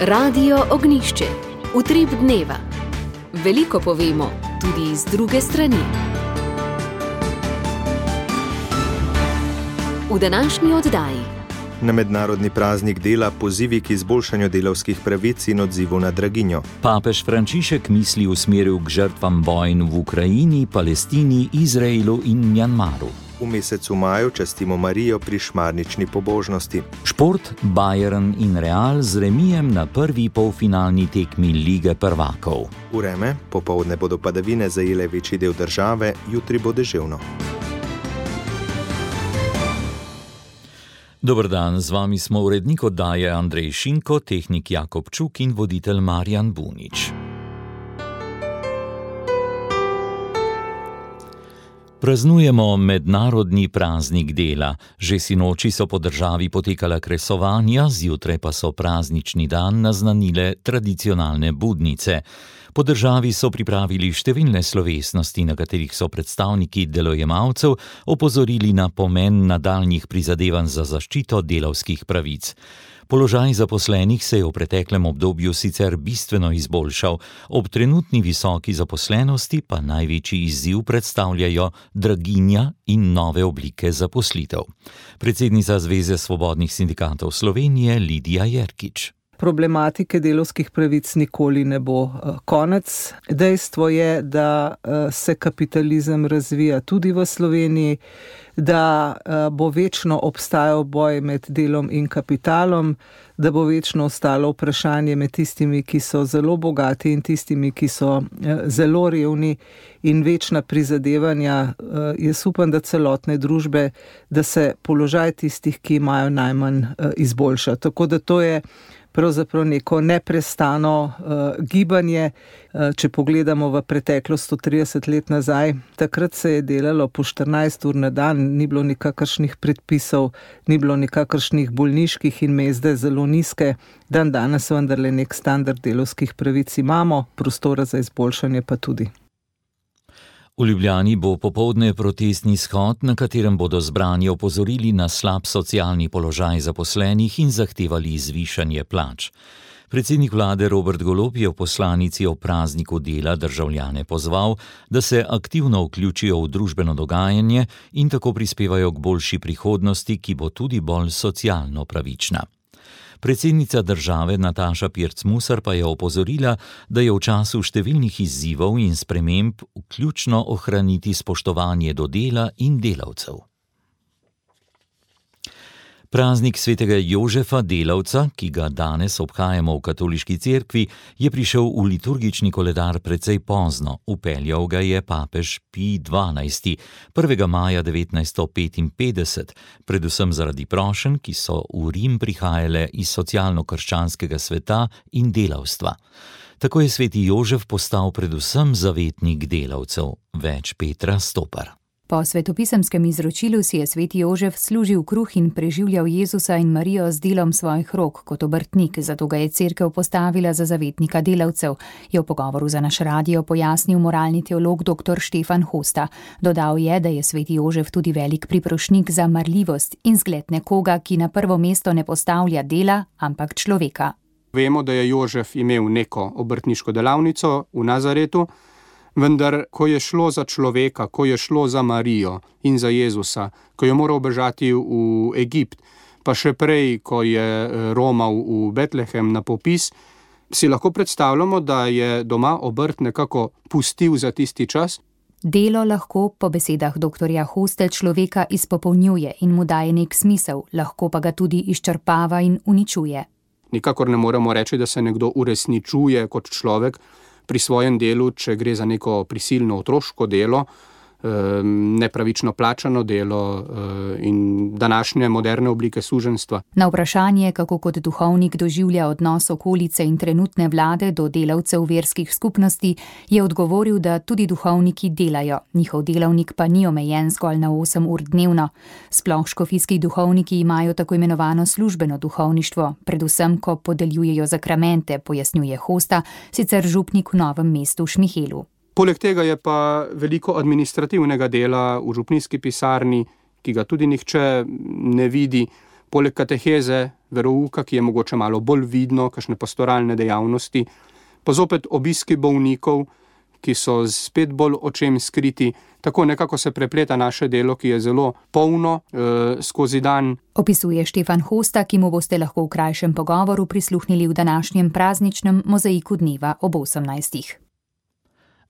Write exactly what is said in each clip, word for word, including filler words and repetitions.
Radio Ognjišče. Utrip dneva. Veliko povemo, tudi iz druge strani. V današnji oddaji. Na mednarodni praznik dela pozivi k izboljšanju delavskih pravic in odzivu na draginjo. Papež Frančišek misli usmeril k žrtvam vojn v Ukrajini, Palestini, Izraelu in Mjanmaru. V mesecu maju častimo Marijo pri šmarnični pobožnosti. Šport, Bayern in Real z remijem na prvi polfinalni tekmi Lige prvakov. Vreme, popoldne bodo padavine zajele večji del države, jutri bo deževno. Dober dan, z vami smo urednik oddaje Andrej Šinko, tehnik Jakob Čuk in voditelj Marjan Bunič. Praznujemo mednarodni praznik dela. Že sinoči so po državi potekala kresovanja, zjutraj pa so praznični dan naznanile tradicionalne budnice. Po državi so pripravili številne slovesnosti, na katerih so predstavniki delojemalcev opozorili na pomen nadaljnjih prizadevanj za zaščito delavskih pravic. Položaj zaposlenih se je v preteklem obdobju sicer bistveno izboljšal, ob trenutni visoki zaposlenosti pa največji izziv predstavljajo draginja in nove oblike zaposlitev. Predsednica Zveze svobodnih sindikatov Slovenije Lidija Jerkič. Problematike delavskih pravic nikoli ne bo konec. Dejstvo je, da se kapitalizem razvija tudi v Sloveniji, da bo večno obstajal boj med delom in kapitalom, da bo večno ostalo vprašanje med tistimi, ki so zelo bogati in tistimi, ki so zelo revni, in večna prizadevanja, jaz upam, da celotne družbe, da se položaj tistih, ki imajo najmanj, izboljša. Tako da to je pravzaprav neko neprestano uh, gibanje. Uh, če pogledamo v preteklost sto trideset let nazaj, takrat se je delalo po štirinajst ur na dan, ni bilo nikakršnih predpisov, ni bilo nikakršnih bolniških in mezde zelo nizke. Dan danes vendarle nek standard delavskih pravic imamo, prostora za izboljšanje pa tudi. V Ljubljani bo popoldne protestni shod, na katerem bodo zbrani opozorili na slab socialni položaj zaposlenih in zahtevali zvišanje plač. Predsednik vlade Robert Golob je v poslanici o prazniku dela državljane pozval, da se aktivno vključijo v družbeno dogajanje in tako prispevajo k boljši prihodnosti, ki bo tudi bolj socialno pravična. Predsednica države Nataša Pirc Musar pa je opozorila, da je v času številnih izzivov in sprememb ključno ohraniti spoštovanje do dela in delavcev. Praznik svetega Jožefa Delavca, ki ga danes obhajamo v katoliški cerkvi, je prišel v liturgični koledar precej pozno. Vpeljal ga je papež Pij dvanajsti, prvega maja devetnajststo petinpetdeset, predvsem zaradi prošenj, ki so v Rim prihajale iz socialno-krščanskega sveta in delavstva. Tako je sveti Jožef postal predvsem zavetnik delavcev. Več Petra Stopar. Po svetopisemskem izročilu si je sveti Jožef služil kruh in preživljal Jezusa in Marijo z delom svojih rok kot obrtnik, zato ga je cerkev postavila za zavetnika delavcev, je v pogovoru za naš radio pojasnil moralni teolog dr. Štefan Hosta. Dodal je, da je sveti Jožef tudi velik priprošnik za marljivost in zgled nekoga, ki na prvo mesto ne postavlja dela, ampak človeka. Vemo, da je Jožef imel neko obrtniško delavnico v Nazaretu, vendar, ko je šlo za človeka, ko je šlo za Marijo in za Jezusa, ko je moral bežati v Egipt, pa še prej, ko je romal v Betlehem na popis, si lahko predstavljamo, da je doma obrt nekako pustil za tisti čas. Delo lahko, po besedah doktorja Hoste, človeka izpopolnjuje in mu daje nek smisel, lahko pa ga tudi izčrpava in uničuje. Nikakor ne moremo reči, da se nekdo uresničuje kot človek pri svojem delu, če gre za neko prisilno otroško delo, nepravično plačano delo in današnje moderne oblike suženjstva. Na vprašanje, kako kot duhovnik doživlja odnos okolice in trenutne vlade do delavcev verskih skupnosti, je odgovoril, da tudi duhovniki delajo. Njihov delavnik pa ni omejen zgolj na osem ur dnevno. Sploh škofijski duhovniki imajo tako imenovano službeno duhovništvo, predvsem ko podeljujejo zakramente, pojasnjuje Hosta, sicer župnik v Novem mestu v Šmihelu. Poleg tega je pa veliko administrativnega dela v župnijski pisarni, ki ga tudi nihče ne vidi, Poleg kateheze, verouka, ki je mogoče malo bolj vidno, kakšne pastoralne dejavnosti, pa zopet obiski bolnikov, ki so spet bolj očem skriti. Tako nekako se prepleta naše delo, ki je zelo polno eh, skozi dan. Opisuje Štefan Hosta, ki mu boste lahko v krajšem pogovoru prisluhnili v današnjem prazničnem mozaiku dneva ob osemnajstih.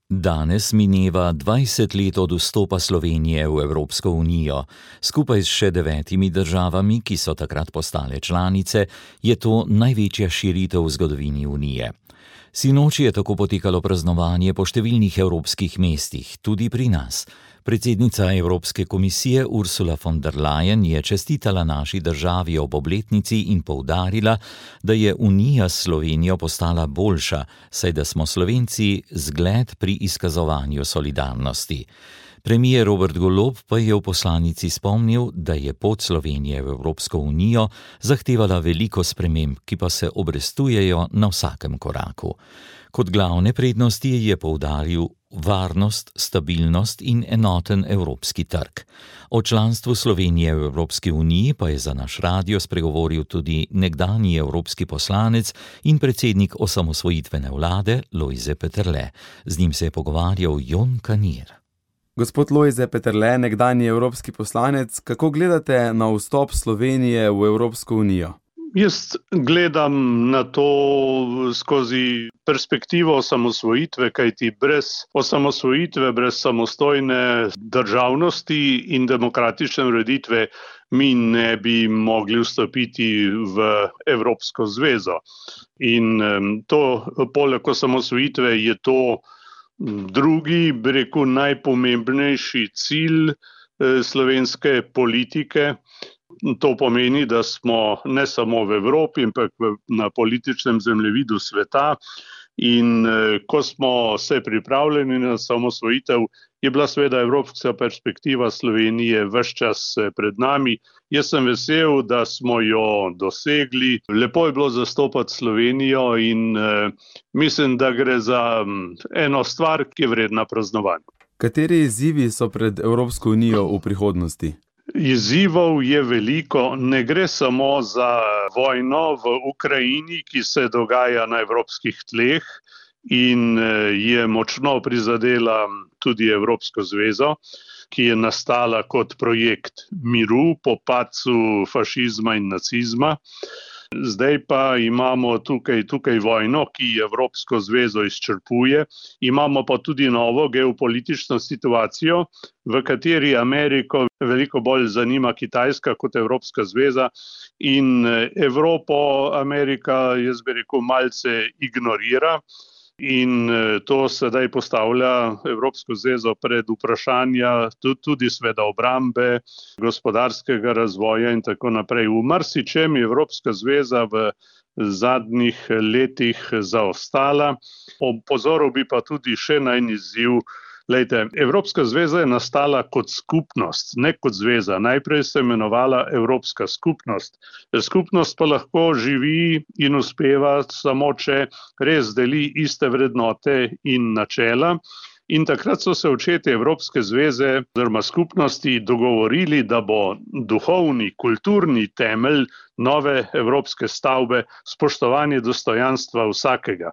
Danes mineva dvajset let od vstopa Slovenije v Evropsko unijo. Skupaj s še devetimi državami, ki so takrat postale članice, je to največja širitev v zgodovini unije. Sinoči je tako potekalo praznovanje po številnih evropskih mestih, tudi pri nas. Predsednica Evropske komisije Ursula von der Leyen je čestitala naši državi ob obletnici in poudarila, da je Unija s Slovenijo postala boljša, saj da smo Slovenci zgled pri izkazovanju solidarnosti. Premier Robert Golob pa je v poslanici spomnil, da je pot Slovenije v Evropsko unijo zahtevala veliko sprememb, ki pa se obrestujejo na vsakem koraku. Kot glavne prednosti je poudaril varnost, stabilnost in enoten evropski trg. O članstvu Slovenije v Evropski uniji pa je za naš radio spregovoril tudi nekdanji evropski poslanec in predsednik osamosvojitvene vlade Lojze Peterle. Z njim se je pogovarjal Jon Kanir. Gospod Lojze Peterle, nekdanji evropski poslanec, kako gledate na vstop Slovenije v Evropsko unijo? Jaz gledam na to skozi perspektivo osamosvojitve, kajti brez osamosvojitve, brez samostojne državnosti in demokratične ureditve mi ne bi mogli vstopiti v Evropsko zvezo. In to, poleg osamosvojitve, je to drugi, bi rekel, najpomembnejši cilj slovenske politike. To pomeni, da smo ne samo v Evropi, ampak na političnem zemljevidu sveta. In ko smo se pripravljeni na samosvojitev, je bila seveda evropska perspektiva Slovenije ves čas pred nami. Jaz sem vesel, da smo jo dosegli. Lepo je bilo zastopati Slovenijo in eh, mislim, da gre za eno stvar, ki je vredna praznovanja. Kateri izzivi so pred Evropsko unijo v prihodnosti? Izzivov je veliko, ne gre samo za vojno v Ukrajini, ki se dogaja na evropskih tleh in je močno prizadela tudi Evropsko zvezo, ki je nastala kot projekt miru po padcu fašizma in nacizma. Zdaj pa imamo tukaj, tukaj vojno, ki Evropsko zvezo izčrpuje. Imamo pa tudi novo geopolitično situacijo, v kateri Ameriko veliko bolj zanima Kitajska kot Evropska zveza in Evropo Amerika, jaz bi rekel, malce ignorira. In to sedaj postavlja Evropsko zvezo pred vprašanja tudi sveda obrambe, gospodarskega razvoja in tako naprej. V marsičem je Evropska zveza v zadnjih letih zaostala. Opozoril bi pa tudi še na en izziv. Lejte, Evropska zveza je nastala kot skupnost, ne kot zveza. Najprej se imenovala Evropska skupnost. Skupnost pa lahko živi in uspeva samo, če res deli iste vrednote in načela. In takrat so se očetje Evropske zveze oziroma skupnosti dogovorili, da bo duhovni, kulturni temelj nove evropske stavbe spoštovanje dostojanstva vsakega.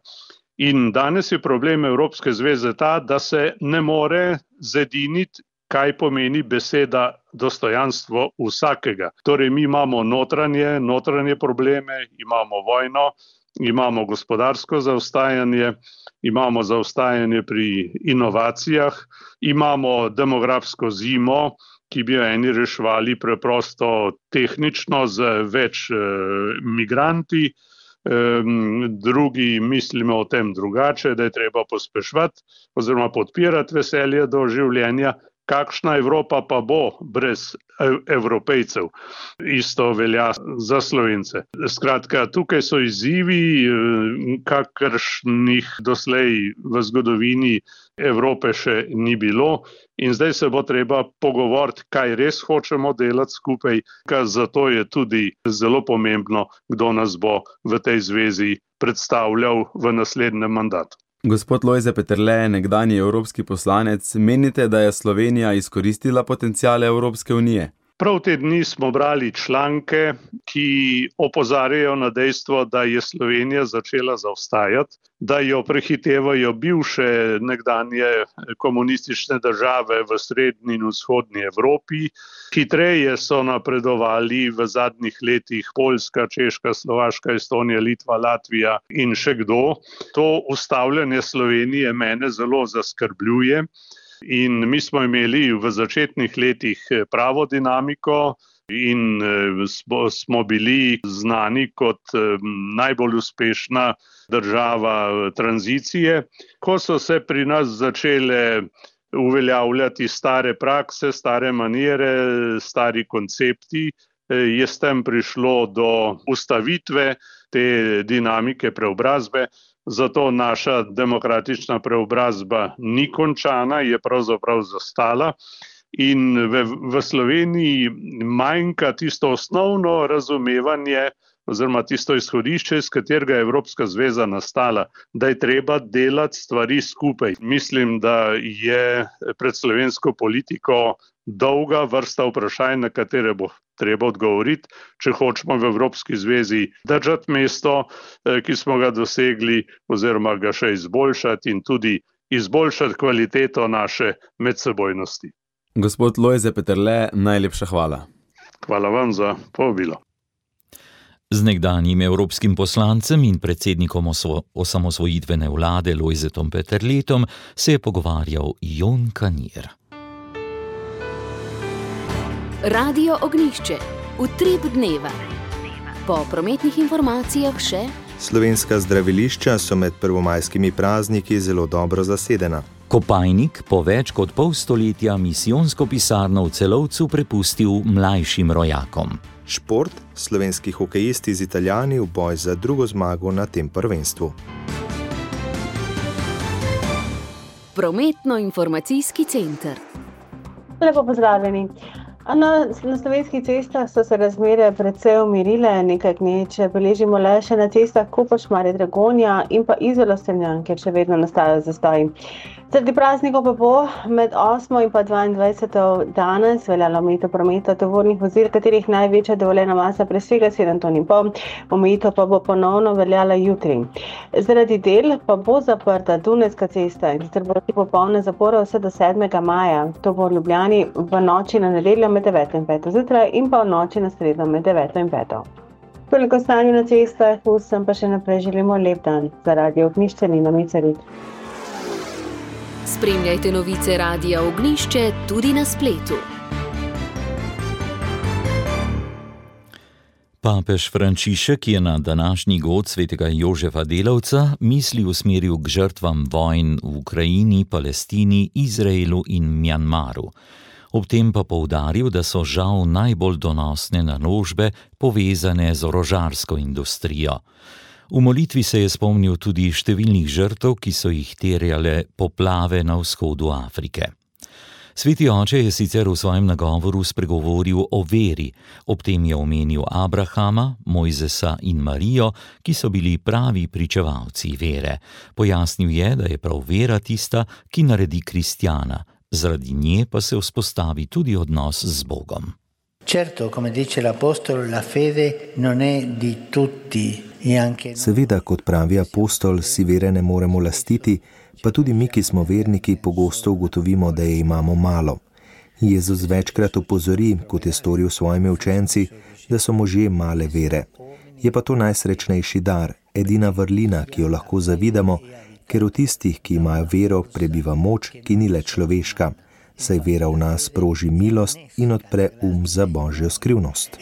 In danes je problem Evropske zveze ta, da se ne more zediniti, kaj pomeni beseda dostojanstvo vsakega. Torej, mi imamo notranje, notranje probleme, imamo vojno, imamo gospodarsko zaostajanje, imamo zaostajanje pri inovacijah, imamo demografsko zimo, ki bi jo eni reševali preprosto tehnično z več eh, migranti, drugi mislimo o tem drugače, da je treba pospeševati oziroma podpirati veselje do življenja. Kakšna Evropa pa bo brez Evropejcev? Isto velja za Slovence. Skratka, tukaj so izzivi, kakršnih doslej v zgodovini Evrope še ni bilo. In zdaj se bo treba pogovoriti, kaj res hočemo delati skupaj, ker zato je tudi zelo pomembno, kdo nas bo v tej zvezi predstavljal v naslednjem mandatu. Gospod Lojze Peterle, nekdanji evropski poslanec, menite, da je Slovenija izkoristila potenciale Evropske unije? Prav te dni smo brali članke, ki opozarjajo na dejstvo, da je Slovenija začela zaostajati, da jo prehitevajo bivše nekdanje komunistične države v srednji in vzhodni Evropi. Hitreje so napredovali v zadnjih letih Poljska, Češka, Slovaška, Estonija, Litva, Latvija in še kdo. To ustavljanje Slovenije mene zelo zaskrbljuje. In mi smo imeli v začetnih letih pravo dinamiko in smo, smo bili znani kot najbolj uspešna država tranzicije. Ko so se pri nas začele uveljavljati stare prakse, stare manire, stari koncepti, je s tem prišlo do ustavitve te dinamike preobrazbe. Zato naša demokratična preobrazba ni končana, je pravzaprav zastala in v, v Sloveniji manjka tisto osnovno razumevanje oziroma tisto izhodišče, iz katerega je Evropska zveza nastala, da je treba delati stvari skupaj. Mislim, da je pred slovensko politiko dolga vrsta vprašanj, na katere bo treba odgovoriti, če hočemo v Evropski zvezi držati mesto, ki smo ga dosegli, oziroma ga še izboljšati in tudi izboljšati kvaliteto naše medsebojnosti. Gospod Lojze Peterle, najlepša hvala. Hvala vam za povabilo. Z nekdanjim evropskim poslancem in predsednikom osvo- osamosvojitvene vlade Lojzetom Peterletom se je pogovarjal Jon Kanir. Radio Ognjišče, utrip dneva. Po prometnih informacijah še: Slovenska zdravilišča so med prvomajskimi prazniki zelo dobro zasedena. Kopajnik po več kot pol stoletja misijonsko pisarno v Celovcu prepustil mlajšim rojakom. Šport, slovenski hokejisti z Italijani v boj za drugo zmago na tem prvenstvu. Prometno-informacijski center. Lepo pozdravljeni. Na, na slovenskih cestah so se razmere precej umirile, nekaj gneče beležimo le še na cestah Koper, Šmarje, Dragonja in pa Izola, Strunjan, kjer še vedno nastajajo zastoji. Zaradi praznikov pa bo med osmo in pa dvaindvajseto danes veljalo omejitev prometa tovornih vozil, katerih največja dovoljena masa presega sedem ton in pol, omejitev pa bo ponovno veljala jutri. Zaradi del pa bo zaprta Dunajska cesta in sicer bo popolna zapora vse do sedmega maja. To bo v Ljubljani v noči na nedeljo med deveto in peto zjutraj in pa v noči na sredo med deveto in peto. Toliko stanju na cestah, vsem pa še naprej želimo lep dan. Za Radio Ognjišče Nina Micerit. Spremljajte novice Radia Ognjišče tudi na spletu. Papež Frančišek je na današnji god svetega Jožefa Delavca misli usmeril k žrtvam vojn v Ukrajini, Palestini, Izraelu in Mjanmaru. Ob tem pa poudaril, da so žal najbolj donosne naložbe povezane z orožarsko industrijo. V molitvi se je spomnil tudi številnih žrtev, ki so jih terjale poplave na vzhodu Afrike. Sveti oče je sicer v svojem nagovoru spregovoril o veri, ob tem je omenil Abrahama, Mojzesa in Marijo, ki so bili pravi pričevalci vere. Pojasnil je, da je prav vera tista, ki naredi kristjana, zaradi nje pa se vzpostavi tudi odnos z Bogom. Certo, come dice l'apostolo, la fede non è di tutti. Seveda, kot pravi apostol, si vere ne moremo lastiti, pa tudi mi, ki smo verniki, pogosto ugotovimo, da je imamo malo. Jezus večkrat opozori, kot je storil s svojimi učenci, da so možje male vere. Je pa to najsrečnejši dar, edina vrlina, ki jo lahko zavidamo, ker v tistih, ki imajo vero, prebiva moč, ki ni le človeška, saj vera v nas sproži milost in odpre um za Božjo skrivnost.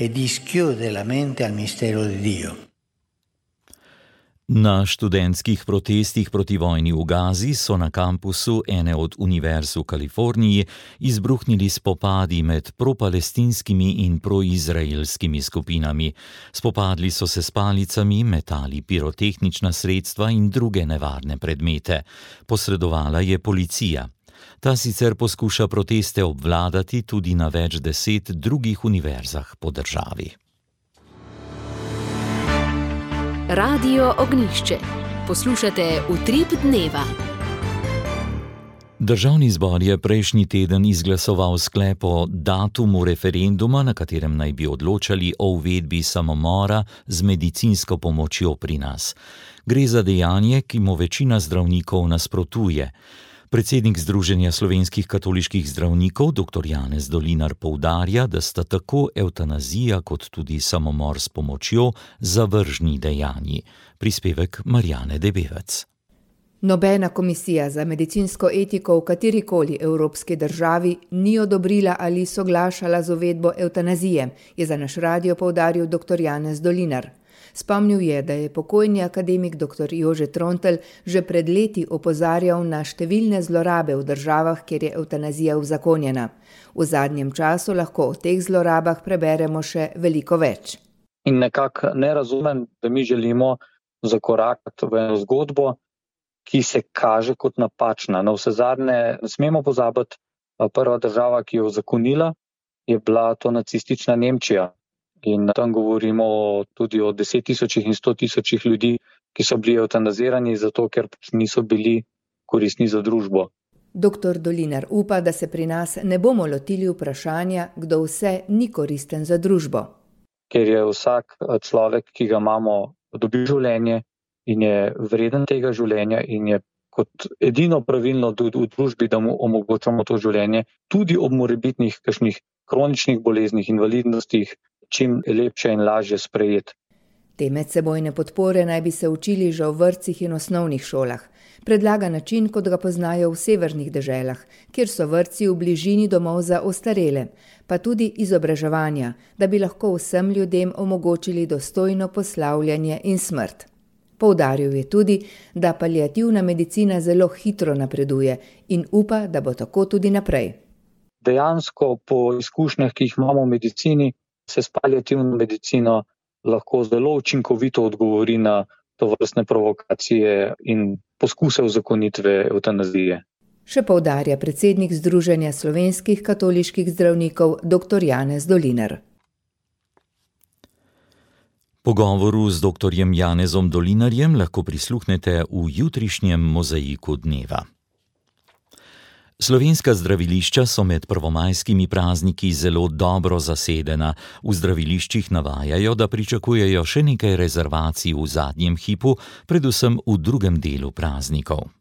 Na študentskih protestih proti vojni v Gazi so na kampusu ene od univerz v Kaliforniji izbruhnili spopadi med propalestinskimi in proizraelskimi skupinami. Spopadli so se s palicami, metali pirotehnična sredstva in druge nevarne predmete. Posredovala je policija. Ta sicer poskuša proteste obvladati tudi na več deset drugih univerzah po državi. Radio Ognjišče. Poslušate Utrip dneva. Državni zbor je prejšnji teden izglasoval sklep o datumu referenduma, na katerem naj bi odločali o uvedbi samomora z medicinsko pomočjo pri nas. Gre za dejanje, ki mu večina zdravnikov nasprotuje. Predsednik Združenja slovenskih katoliških zdravnikov, doktor Janez Dolinar, poudarja, da sta tako evtanazija kot tudi samomor s pomočjo zavržni dejanji. Prispevek Marjane Debevec. Nobena komisija za medicinsko etiko v katerikoli evropski državi ni odobrila ali soglašala z uvedbo evtanazije, je za naš radio poudaril doktor Janez Dolinar. Spomnil je, da je pokojni akademik doktor Jože Trontelj že pred leti opozarjal na številne zlorabe v državah, kjer je evtanazija uzakonjena. V zadnjem času lahko o teh zlorabah preberemo še veliko več. In nekako ne razumem, da mi želimo zakorakati v eno zgodbo, ki se kaže kot napačna. Na vse zadnje ne smemo pozabiti, prva država, ki je uzakonila, je bila to nacistična Nemčija. In tam govorimo tudi o deset tisočih in sto tisočih ljudi, ki so bili evtanazirani zato, ker niso bili koristni za družbo. Doktor Dolinar upa, da se pri nas ne bomo lotili vprašanja, kdo vse ni koristen za družbo. Ker je vsak človek, ki ga imamo, dobi življenje in je vreden tega življenja in je kot edino pravilno tudi v družbi, da mu omogočamo to življenje, tudi ob morebitnih kakšnih kroničnih boleznih, invalidnostih, čim lepše in lažje sprejeti. Te medsebojne podpore naj bi se učili že v vrtcih in osnovnih šolah. Predlaga način, kot ga poznajo v severnih deželah, kjer so vrtci v bližini domov za ostarele, pa tudi izobraževanja, da bi lahko vsem ljudem omogočili dostojno poslavljanje in smrt. Poudaril je tudi, da paliativna medicina zelo hitro napreduje in upa, da bo tako tudi naprej. Dejansko po izkušnjah, ki jih imamo v medicini, se s paliativno medicino lahko zelo učinkovito odgovori na tovrstne provokacije in poskuse uzakonitve evtanazije. Še poudarja predsednik Združenja slovenskih katoliških zdravnikov doktor Janez Dolinar. Pogovoru z doktorjem Janezom Dolinarjem lahko prisluhnete v jutrišnjem mozaiku dneva. Slovenska zdravilišča so med prvomajskimi prazniki zelo dobro zasedena. V zdraviliščih navajajo, da pričakujejo še nekaj rezervacij v zadnjem hipu, predvsem v drugem delu praznikov.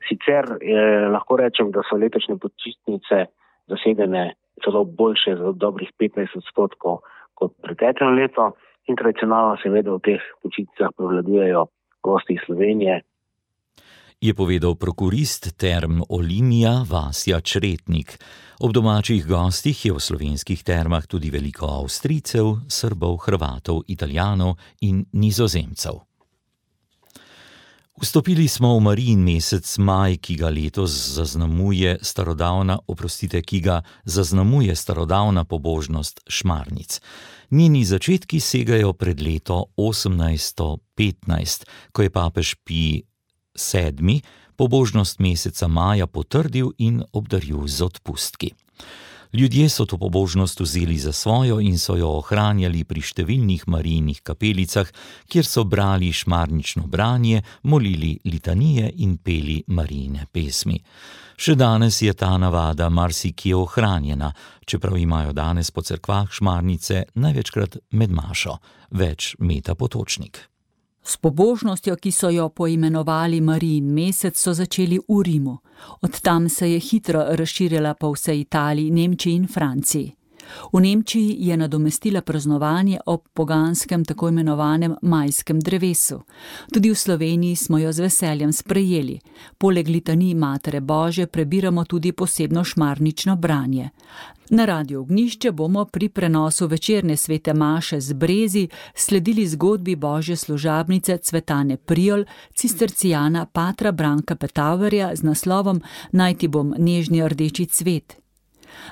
Sicer eh, lahko rečem, da so letošnje počitnice zasedene celo boljše za dobrih petnajst odstotkov kot preteklo leto in tradicionalno seveda v teh počitnicah prevladujejo gosti iz Slovenije. Je povedal prokurist Term Olimia Vasja Čretnik. Ob domačih gostih je v slovenskih termah tudi veliko Avstrijcev, Srbov, Hrvatov, Italijanov in Nizozemcev. Vstopili smo v Marijin mesec maj, ki ga letos zaznamuje starodavna, oprostite, ki ga zaznamuje starodavna pobožnost šmarnic. Njeni začetki segajo pred leto osemnajststo petnajst, ko je papež Pij sedmi pobožnost meseca maja potrdil in obdaril z odpustki. Ljudje so to pobožnost vzeli za svojo in so jo ohranjali pri številnih Marijinih kapelicah, kjer so brali šmarnično branje, molili litanije in peli Marijine pesmi. Še danes je ta navada marsikje ohranjena, čeprav imajo danes po cerkvah šmarnice največkrat med mašo. Več Meta Potočnik. S pobožnostjo, ki so jo poimenovali Marijin mesec, so začeli v Rimu. Od tam se je hitro razširila po vsej Italiji, Nemčiji in Franciji. V Nemčiji je nadomestila praznovanje ob poganskem tako imenovanem majskem drevesu. Tudi v Sloveniji smo jo z veseljem sprejeli. Poleg litanij Matere Božje prebiramo tudi posebno šmarnično branje. Na Radiu Ognjišče bomo pri prenosu večerne svete maše z Brezi sledili zgodbi Božje služabnice Cvetane Prijol, cistercijana patra Branka Petaverja z naslovom Naj ti bom nežni rdeči cvet.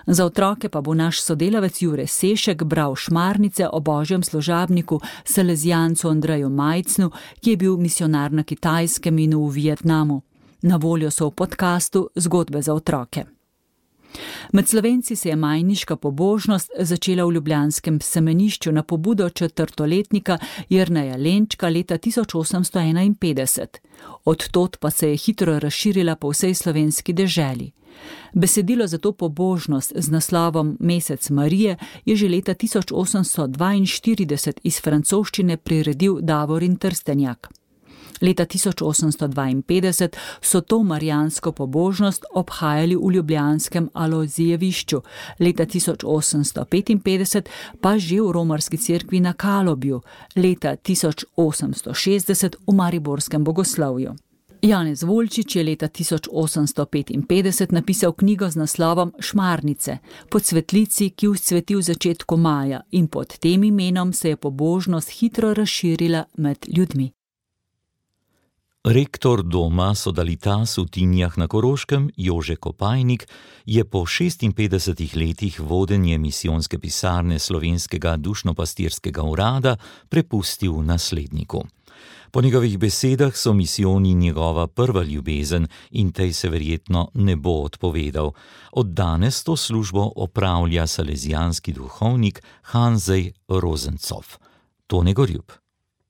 Za otroke pa bo naš sodelavec Jure Sešek bral šmarnice o Božjem služabniku Salezijancu Andreju Majcnu, ki je bil misionar na Kitajskem in v Vietnamu. Na voljo so v podkastu Zgodbe za otroke. Med Slovenci se je majniška pobožnost začela v ljubljanskem semenišču na pobudo četrtoletnika Jerneja Lenčka leta tisoč osemsto enainpetdeset. Od tod pa se je hitro razširila po vsej slovenski deželi. Besedilo za to pobožnost z naslovom Mesec Marije je že leta tisoč osemsto dvainštirideset iz francoščine priredil Davorin Trstenjak. Leta tisoč osemsto dvainpetdeset so to marijansko pobožnost obhajali v ljubljanskem Alojzijevišču, leta tisoč osemsto petinpetdeset pa že v romarski cerkvi na Kalobju, leta tisoč osemsto šestdeset v mariborskem bogoslovju. Janez Volčič je leta tisoč osemsto petinpetdeset napisal knjigo z naslovom Šmarnice, po cvetlici, ki vzcveti v začetku maja, in pod tem imenom se je pobožnost hitro razširila med ljudmi. Rektor doma Sodalitas v Tinjah na Koroškem, Jože Kopajnik, je po šestinpetdesetih letih vodenje misijonske pisarne Slovenskega dušno-pastirskega urada prepustil nasledniku. Po njegovih besedah so misijoni njegova prva ljubezen in tej se verjetno ne bo odpovedal. Od danes to službo opravlja salezijanski duhovnik Hanzej Rozencov. Tone Gorjub.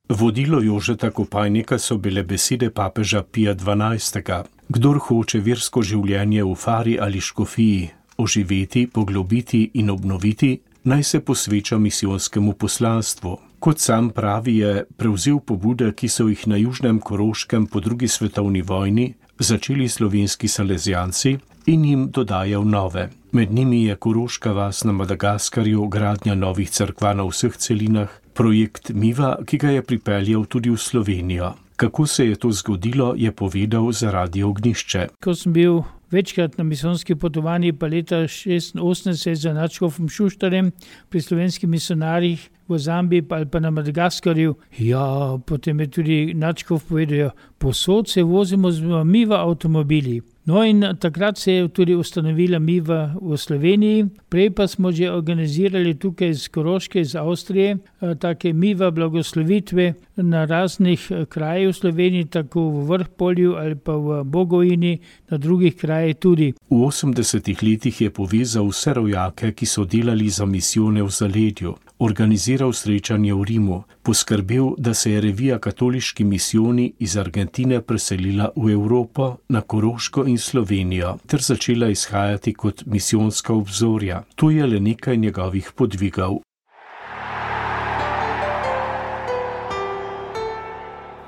Vodilo Jožeta Kopajnika so bile besede papeža Pija dvanajstega. Kdor hoče versko življenje v fari ali škofiji oživeti, poglobiti in obnoviti, naj se posveča misijonskemu poslanstvu. Kot sam pravi, je prevzel pobude, ki so jih na Južnem Koroškem po drugi svetovni vojni začeli slovenski salezijanci in jim dodajal nove. Med njimi je Koroška vas na Madagaskarju, gradnja novih cerkva na vseh celinah, projekt Miva, ki ga je pripeljal tudi v Slovenijo. Kako se je to zgodilo, je povedal za Radio Ognjišče. Ko sem bil večkrat na misijonski potovanji, pa leta šestinosemdeset za nadškofom Šuštarjem pri slovenskih misionarjih v Zambiji ali pa na Madagaskarju. Ja, potem je tudi nadškof povedal, posod se vozimo z Miva avtomobili. No in takrat se je tudi ustanovila Miva v Sloveniji, prej pa smo že organizirali tukaj iz Koroške, iz Avstrije, take Miva blagoslovitve na raznih krajih v Sloveniji, tako v Vrhpolju ali pa v Bogojini, na drugih krajih tudi. V osemdesetih letih je povezal vse rojake, ki so delali za misijone v zaledju, organiziral srečanje v Rimu, poskrbel, da se je revija Katoliški misijoni iz Argentine preselila v Evropo, na Koroško in Slovenijo, ter začela izhajati kot misijonska obzorja. To je le nekaj njegovih podvigov.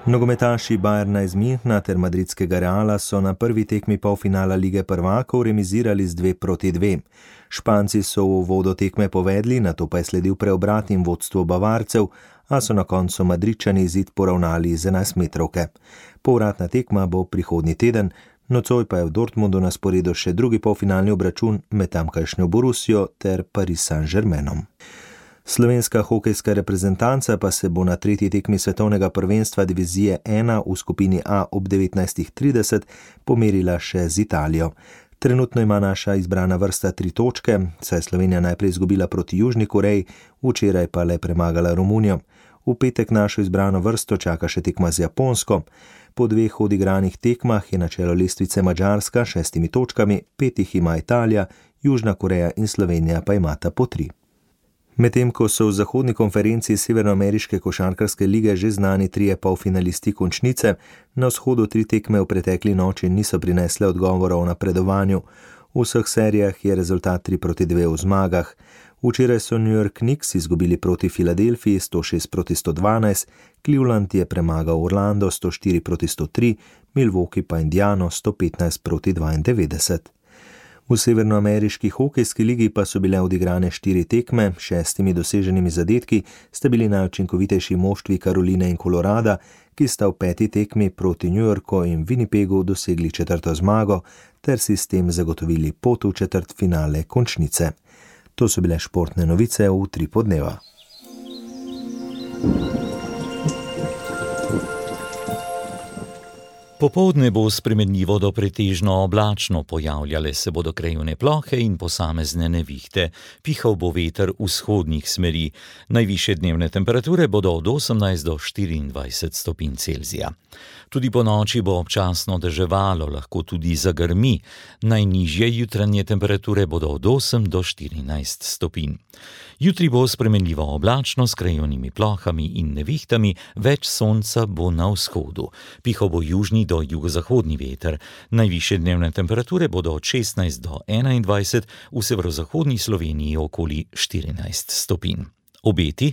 Nogometaši Bayerna iz Münchna ter madridskega Reala so na prvi tekmi polfinala Lige prvakov remizirali z dve proti dve. Španci so v uvodu tekme povedli, nato pa je sledil preobrat in vodstvo Bavarcev, a so na koncu Madridčani izid poravnali z enajstmetrovke. Povratna tekma bo prihodnji teden, nocoj pa je v Dortmundu na sporedu še drugi polfinalni obračun med tamkajšnjo Borussijo ter Paris Saint-Germainom. Slovenska hokejska reprezentanca pa se bo na tretji tekmi svetovnega prvenstva divizije ena v skupini A ob devetnajstih trideset pomerila še z Italijo. Trenutno ima naša izbrana vrsta tri točke, saj je Slovenija najprej izgubila proti Južni Koreji, včeraj pa le premagala Romunijo. V petek našo izbrano vrsto čaka še tekma z Japonsko. Po dveh odigranih tekmah je na čelo lestvice Madžarska šestimi točkami, petih ima Italija, Južna Koreja in Slovenija pa imata po tri. Medtem ko so v zahodni konferenci Severnoameriške košarkarske lige že znani trije polfinalisti končnice, na vzhodu tri tekme v pretekli noči niso prinesle odgovorov o napredovanju. V vseh serijah je rezultat tri proti dve v zmagah. Včeraj so New York Knicks izgubili proti Filadelfiji sto šest proti sto dvanajst, Cleveland je premagal Orlando sto štiri proti sto tri, Milwaukee pa Indiano sto petnajst proti dvaindevetdeset. V severnoameriški hokejski ligi pa so bile odigrane štiri tekme, šestimi doseženimi zadetki sta bili najučinkovitejši moštvi Karoline in Kolorada, ki sta v peti tekmi proti New Yorku in Winnipegu dosegli četrto zmago, ter si s tem zagotovili pot v četrtfinale končnice. To so bile športne novice v tri podneva. Popoldne bo spremenljivo do pretežno oblačno, pojavljale se bodo krajevne plohe in posamezne nevihte. Pihal bo veter vzhodnih smeri. Najvišje dnevne temperature bodo od osemnajst do štiriindvajset stopinj Celzija. Tudi po noči bo občasno deževalo, lahko tudi zagrmi. Najnižje jutranje temperature bodo od osem do štirinajst stopinj. Jutri bo spremenljivo oblačno s krajevnimi plohami in nevihtami, več sonca bo na vzhodu. Pihal bo južni do jugozahodni veter. Najvišje dnevne temperature bodo od šestnajst do enaindvajset, v severozahodni Sloveniji okoli štirinajst stopinj. Obeti.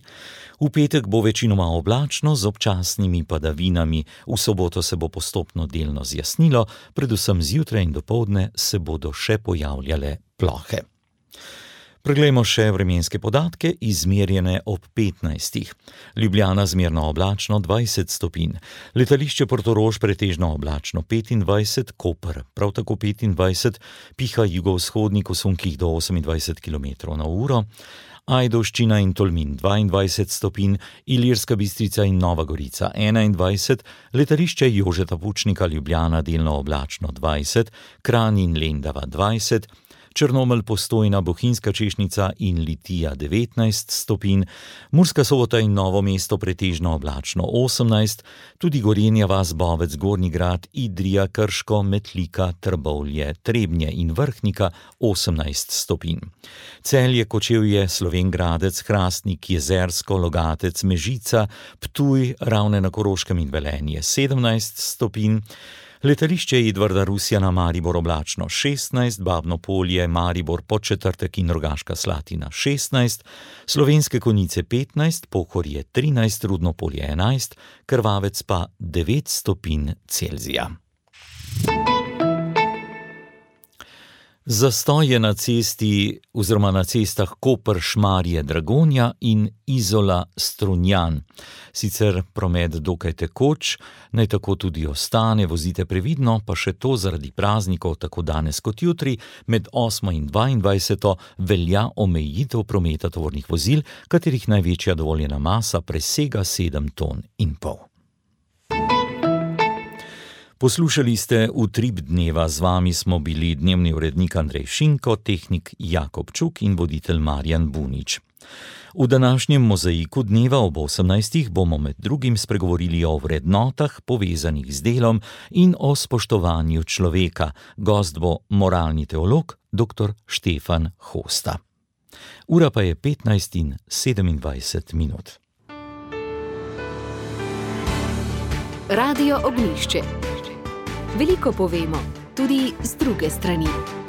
V petek bo večinoma oblačno z občasnimi padavinami, v soboto se bo postopno delno zjasnilo, predvsem zjutraj in dopoldne se bodo še pojavljale plohe. Preglejmo še vremenske podatke, izmerjene ob petnajstih. Ljubljana zmerno oblačno dvajset stopinj, letališče Portorož pretežno oblačno petindvajset, Koper prav tako petindvajset, piha jugovzhodnik v sunkih do osemindvajset kilometrov na uro, Ajdovščina in Tolmin dvaindvajset stopinj, Ilirska Bistrica in Nova Gorica enaindvajset, letališče Jožeta Pučnika Ljubljana delno oblačno dvajset, Kranj in Lendava dvajset, Črnomelj, Postojna, Bohinjska Češnica in Litija devetnajst stopinj, Murska Sobota in Novo mesto pretežno oblačno osemnajst, tudi Gorenja vas, Bovec, Gornji Grad, Idrija, Krško, Metlika, Trbovlje, Trebnje in Vrhnika osemnajst stopinj. Celje, Kočevje, Slovenj Gradec, Hrastnik, Jezersko, Logatec, Mežica, Ptuj, Ravne na Koroškem in Velenje sedemnajst stopinj, letališče Edvarda Rusjana Maribor oblačno šestnajst, Babno Polje, Maribor, Podčetrtek in Rogaška Slatina šestnajst, Slovenske Konjice petnajst, Pohorje trinajst, Rudno Polje enajst, Krvavec pa devet stopinj Celzija. Zastoj je na cesti oziroma na cestah Koper, Šmarje, Dragonja in Izola, Strunjan. Sicer promet dokaj tekoč, naj tako tudi ostane, vozite previdno, pa še to zaradi praznikov, tako danes kot jutri, med osmo in dvaindvajseto velja omejitev prometa tovornih vozil, katerih največja dovoljena masa presega sedem ton in pol. Poslušali ste Utrip dneva, z vami smo bili dnevni urednik Andrej Šinko, tehnik Jakob Čuk in voditelj Marjan Bunič. V današnjem mozaiku dneva ob osemnajstih bomo med drugim spregovorili o vrednotah povezanih z delom in o spoštovanju človeka. Gost bo moralni teolog dr. Štefan Hosta. Ura pa je petnajst in sedemindvajset minut. Radio Ognjišče. Veliko povemo, tudi z druge strani.